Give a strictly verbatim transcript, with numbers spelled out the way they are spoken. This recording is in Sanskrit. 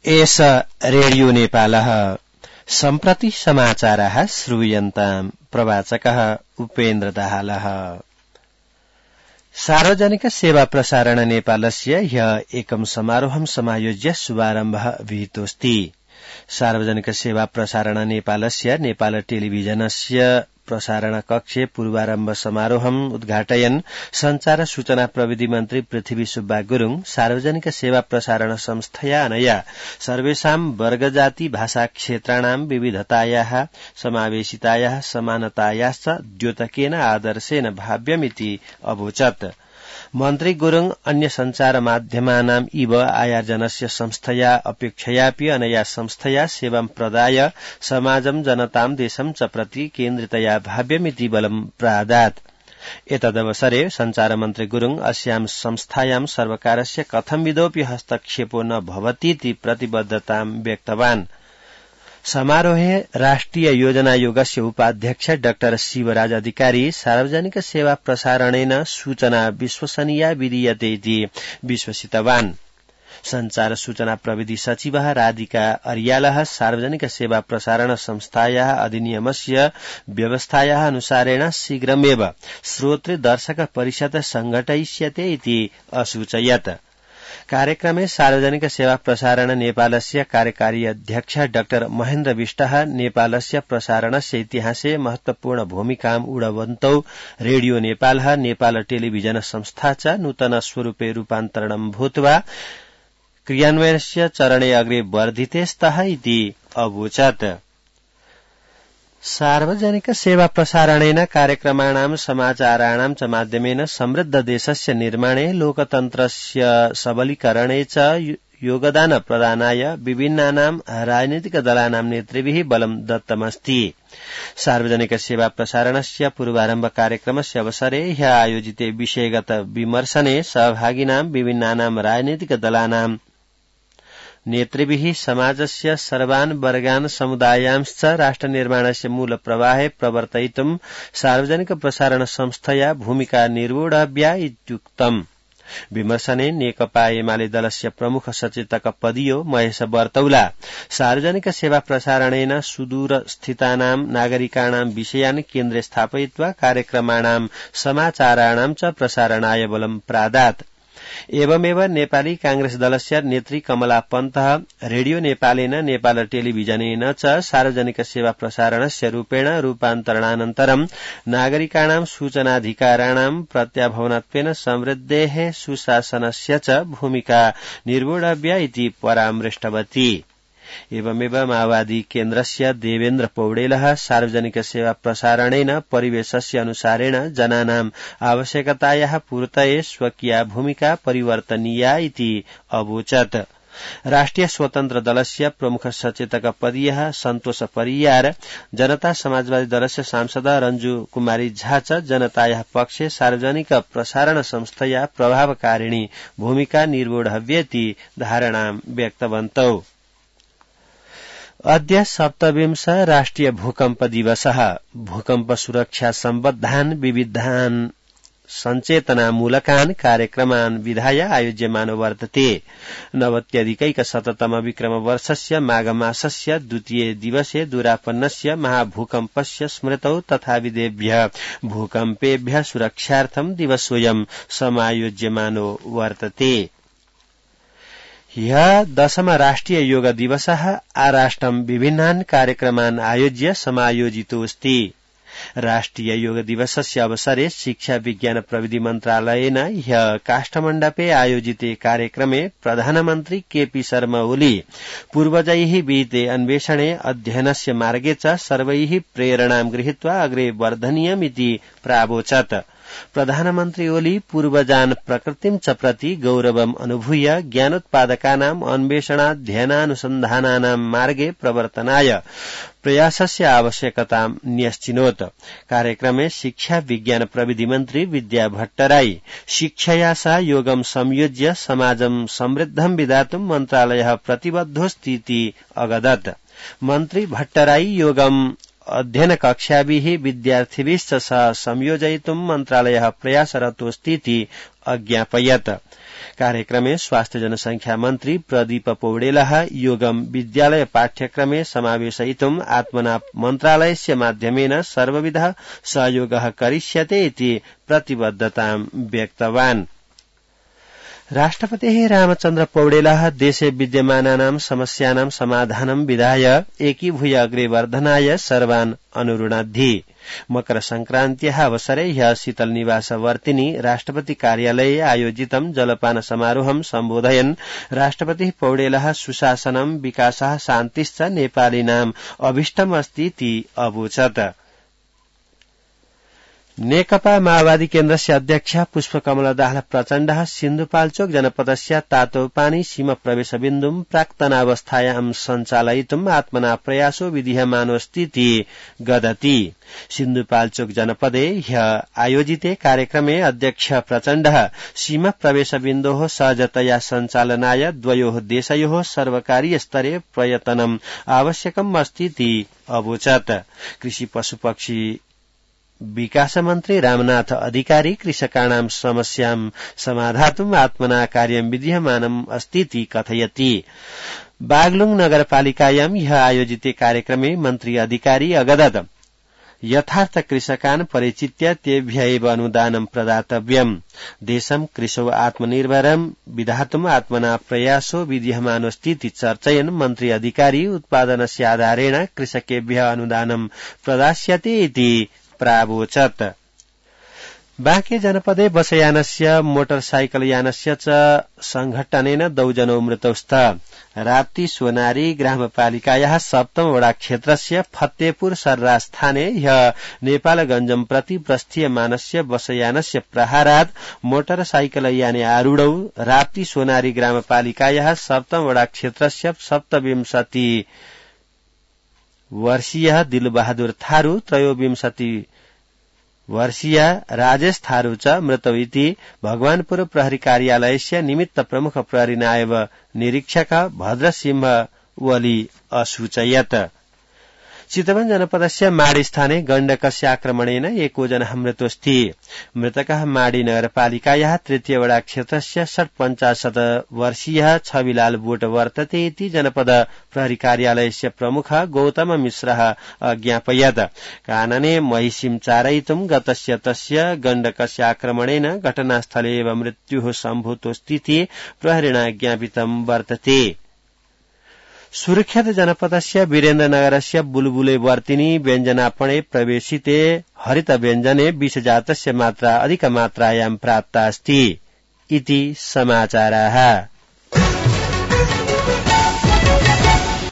एष रेडियो नेपालः सम्प्रति समाचारः श्रूयन्ताम् प्रवाचकः उपेन्द्र दाहालः। सार्वजनिक सेवा प्रसारण नेपालस्य ह्य एकं समारोहं समायोज्य शुभारम्भः विहितोऽस्ति। सार्वजनिक सेवा प्रसारण नेपालस्य नेपाल टेलिभिजनस्य प्रसारण कक्षे पूर्वारम्भ समारोहम् उद्घाटयन् संचार सूचना प्रविधि मन्त्री पृथ्वी सुब्बा गुरूङ सार्वजनिक सेवा प्रसारण संस्थया अनया सर्वेषां वर्गजाति भाषा क्षेत्राणां विविधतायाः समावेशितायाः समानतायाश्च द्योतकेन आदर्शेन भाव्यमिति अवोचत्। मन्त्री गुरूङ अन्य संचार माध्यमानां इव आयोजनस्य संस्थया अपेक्षयापि अनया संस्थया सेवां प्रदाय समाजं जनतां देशं च प्रति केन्द्रितया भाव्यमिति बलं प्रादात्। एतदवसरे संचार मन्त्री गुरूङ अस्यां संस्थायां सर्वकारस्य कथंविधोऽपि हस्तक्षेपो न भवतीति प्रतिबद्धतां व्यक्तवान्। समारोहे राष्ट्रिय योजना आयोगस्य उपाध्यक्ष डाक्टर शिवराज अधिकारी सार्वजनिक सेवा प्रसारणेन सूचना विश्वसनीया विधीयते इति विश्वसितवान्। संचार सूचना प्रविधि सचिवः राधिका अर्यालः सार्वजनिक सेवा प्रसारण संस्थायाः अधिनियमस्य व्यवस्थायाः अनुसारेण शीघ्रमेव श्रोतृ दर्शक परिषद संघटयिष्यते इति असूचयत्। कार्यक्रमे सार्वजनिक सेवा प्रसारण नेपालस्य कार्यकारी अध्यक्ष डाक्टर महेन्द्र विष्टः नेपालस्य प्रसारणस्य इतिहासे महत्वपूर्ण भूमिकाम् ऊढवन्तौ रेडियो नेपालः नेपाल टेलिभिजन संस्था च नूतन स्वरूपे रूपान्तरणं भूत्वा क्रियान्वयनस्य चरणे अग्रे वर्धिते स्तः इति अवोचत्। सार्वजनिक सेवा प्रसारणेन कार्यक्रमाणां समाचाराणां च माध्यमेन समृद्ध देशस्य निर्माणे लोकतन्त्रस्य सबलीकरणे च योगदान प्रदानाय विभिन्नानां राजनीतिक दलानां नेतृभिः बलं दत्तमस्ति। सार्वजनिक सेवा प्रसारणस्य पूर्वारम्भ कार्यक्रमस्य अवसरे ह्यः आयोजिते विषयगत विमर्शने सहभागिनां विभिन्नानां राजनीतिक दलानां नेतृभिः समाजस्य सर्वान् वर्गान् समुदायांश्च राष्ट्रनिर्माणस्य मूलप्रवाहे प्रवर्तयितुं सार्वजनिक प्रसारण संस्थया भूमिका निर्वोढव्या इत्युक्तम्। विमर्शने नेकपा एमाले दलस्य प्रमुख सचेतक पदीयो महेश बर्तौला सार्वजनिक सेवा प्रसारणेन सुदूरस्थितानां नागरिकाणां विषयान् केन्द्रे स्थापयित्वा कार्यक्रमाणां समाचाराणां च प्रसारणाय बलं प्रादात्। एवमेव नेपाली कांग्रेस दलस्य नेत्री कमला पन्तः रेडियो नेपालेन नेपाल टेलिभिजनेन च सार्वजनिक सेवा प्रसारणस्य रूपेण रूपान्तरणानन्तरं नागरिकाणां सूचनाधिकाराणां प्रत्याभवनत्वेन समृद्धेः सुशासनस्य च भूमिका निर्वोढव्या इति परामृष्टवती। एवमेव माओवादी केन्द्रस्य देवेन्द्र पौडेलः सार्वजनिक सेवा प्रसारणेन परिवेशस्य अनुसारेण जनानां आवश्यकतायाः पूर्तये स्वकीया भूमिका परिवर्तनीया इति अवोचत्। राष्ट्रिय स्वतन्त्र दलस्य प्रमुख सचेतक पदीयः सन्तोष परियार जनता समाजवादी दलस्य सांसद रञ्जु कुमारी झा च जनतायाः पक्षे सार्वजनिक प्रसारण संस्थया प्रभावकारिणी भूमिका निर्वोढव्येति धारणां व्यक्तवन्तौ। अद्य सप्तविंश राष्ट्रिय भूकम्प दिवसः। भूकम्प सुरक्षा सम्बद्धान् विविधान् सञ्चेतनामूलकान् कार्यक्रमान् विधाय आयोज्यमानो वर्तते। नवत्यधिकैकशततम विक्रमवर्षस्य माघमासस्य द्वितीये दिवसे दुरापन्नस्य महाभूकम्पस्य स्मृतौ तथाविधेभ्यः भूकम्पेभ्यः सुरक्षार्थं दिवसोऽयं समायोज्यमानो वर्तते। ह्यः दशम राष्ट्रिय योग दिवसः आराष्ट्रं विभिन्नान् कार्यक्रमान् आयोज्य समायोजितोऽस्ति। राष्ट्रिय योग दिवसस्य अवसरे शिक्षा विज्ञान प्रविधि मन्त्रालयेन ह्यः काष्ठमण्डपे आयोजिते कार्यक्रमे प्रधानमन्त्री केपी शर्मा ओली पूर्वजैः विहिते अन्वेषणे अध्ययनस्य मार्गे च सर्वैः प्रेरणां गृहीत्वा अग्रे वर्धनीयमिति प्रावोचत्। प्रधानमन्त्री ओली पूर्वजान् प्रकृतिं च प्रति गौरवम् अनुभूय ज्ञानोत्पादकानाम् अन्वेषणाध्ययनानुसन्धानानां मार्गे प्रवर्तनाय प्रयासस्य आवश्यकतां न्यश्चिनोत्। कार्यक्रमे शिक्षा विज्ञान प्रविधि मन्त्री विद्या भट्टराई शिक्षया सह योगं संयोज्य समाजं समृद्धं विधातुं मन्त्रालयः प्रतिबद्धोऽस्तीति अगदत्। मन्त्री भट्टराई योगं अध्ययन कक्षाभिः विद्यार्थिभिश्च सह संयोजयितुं मन्त्रालयः प्रयासरतोऽस्तीति अज्ञापयत्। कार्यक्रमे स्वास्थ्य जनसंख्या मन्त्री प्रदीप पौडेलः योगम विद्यालय पाठ्यक्रमे समावेशयितुम् आत्मना मन्त्रालयस्य माध्यमेन सर्वविध सहयोगः करिष्यते इति प्रतिबद्धतां व्यक्तवान्। राष्ट्रपतिः रामचन्द्र पौडेलः देशे विद्यमानानां समस्यानां समाधानं विधाय एकीभूय अग्रे वर्धनाय सर्वान् अनुरुणद्धि। मकर संक्रान्त्याः अवसरे ह्यः शीतल निवासवर्तिनी राष्ट्रपति कार्यालये आयोजितं जलपान समारोहं सम्बोधयन् राष्ट्रपतिः पौडेलः सुशासनं विकासः शान्तिश्च नेपालीनाम् अभीष्टमस्तीति अवोचत्। नेकपा माओवादी केन्द्रस्य अध्यक्ष पुष्पकमल दाहाल प्रचण्डः सिन्धुपाल्चोक जनपदस्य तातोपानी सीम प्रवेशबिन्दुं प्राक्तनावस्थायां सञ्चालयितुम् आत्मना प्रयासो विधीयमानोऽस्तीति गदति। सिन्धुपाल्चोक जनपदे ह्यः आयोजिते कार्यक्रमे अध्यक्ष प्रचण्डः सीम प्रवेशबिन्दोः सहजतया सञ्चालनाय द्वयोः देशयोः सर्वकारीय स्तरे प्रयतनम् आवश्यकम् अस्तीति अवोचत्। कृषि पशुपक्षी विकास मन्त्री रामनाथ अधिकारी कृषकाणां समस्यां समाधातुम् आत्मना कार्यं विधीयमानम् अस्तीति कथयति। बागलुङ नगरपालिकायां ह्यः आयोजिते कार्यक्रमे मन्त्री अधिकारी अगदत् यथार्थ कृषकान् परिचित्य तेभ्य एव अनुदानं प्रदातव्यम्। देशं कृषौ आत्मनिर्भरं विधातुम् आत्मना प्रयासो विधीयमानोऽस्तीति चर्चयन् मन्त्री अधिकारी उत्पादनस्य आधारेण कृषकेभ्य अनुदानं प्रदास्यते इति प्रावोचत्। बाँके जनपदे बसयानस्य मोटरसाइकलयानस्य च संघटनेन दौजनौ मृतौ स्तः। राप्ती सोनारी ग्रामपालिकायाः सप्तम वडा क्षेत्रस्य फतेपुर सर्रा स्थाने ह्यः नेपालगञ्जं प्रति प्रस्थीयमानस्य बसयानस्य प्रहारात् मोटरसाइकलयाने आरूढौ राप्ती सोनारी ग्रामपालिकायाः सप्तम वडा क्षेत्रस्य सप्तविंशति वर्षीय दिलबहादुर थारू त्रयोविंशति वर्षीय राजेश थारू च मृतौ इति भगवानपुर प्रहरी कार्यालयस्य निमित्त प्रमुख प्रहरी नायब निरीक्षक भद्रसिंह वली असूचयत्। चितवन जनपदस्य माडी स्थाने गण्डकस्य आक्रमणेन एकोजनः मृतोऽस्ति। मृतकः माडी नगरपालिकायाः तृतीय वडा क्षेत्रस्य षट्पञ्चाशत् वर्षीयः छविलाल बोट वर्तते इति जनपद प्रहरी कार्यालयस्य प्रमुख गौतम मिश्रः अज्ञापयत्। कानने महिषीं चारयितुं गतस्य तस्य गण्डकस्य आक्रमणेन घटनास्थले एव मृत्युः सम्भूतोऽस्तीति प्रहरिणा ज्ञापितं वर्तते। सुर्खेत जनपदस्य वीरेन्द्रनगरस्य बुलबुले वर्तिनी व्यञ्जनापणे प्रवेशिते हरित व्यञ्जने विषजातस्य मात्रा अधिकमात्रायां प्राप्ता अस्ति इति समाचाराः।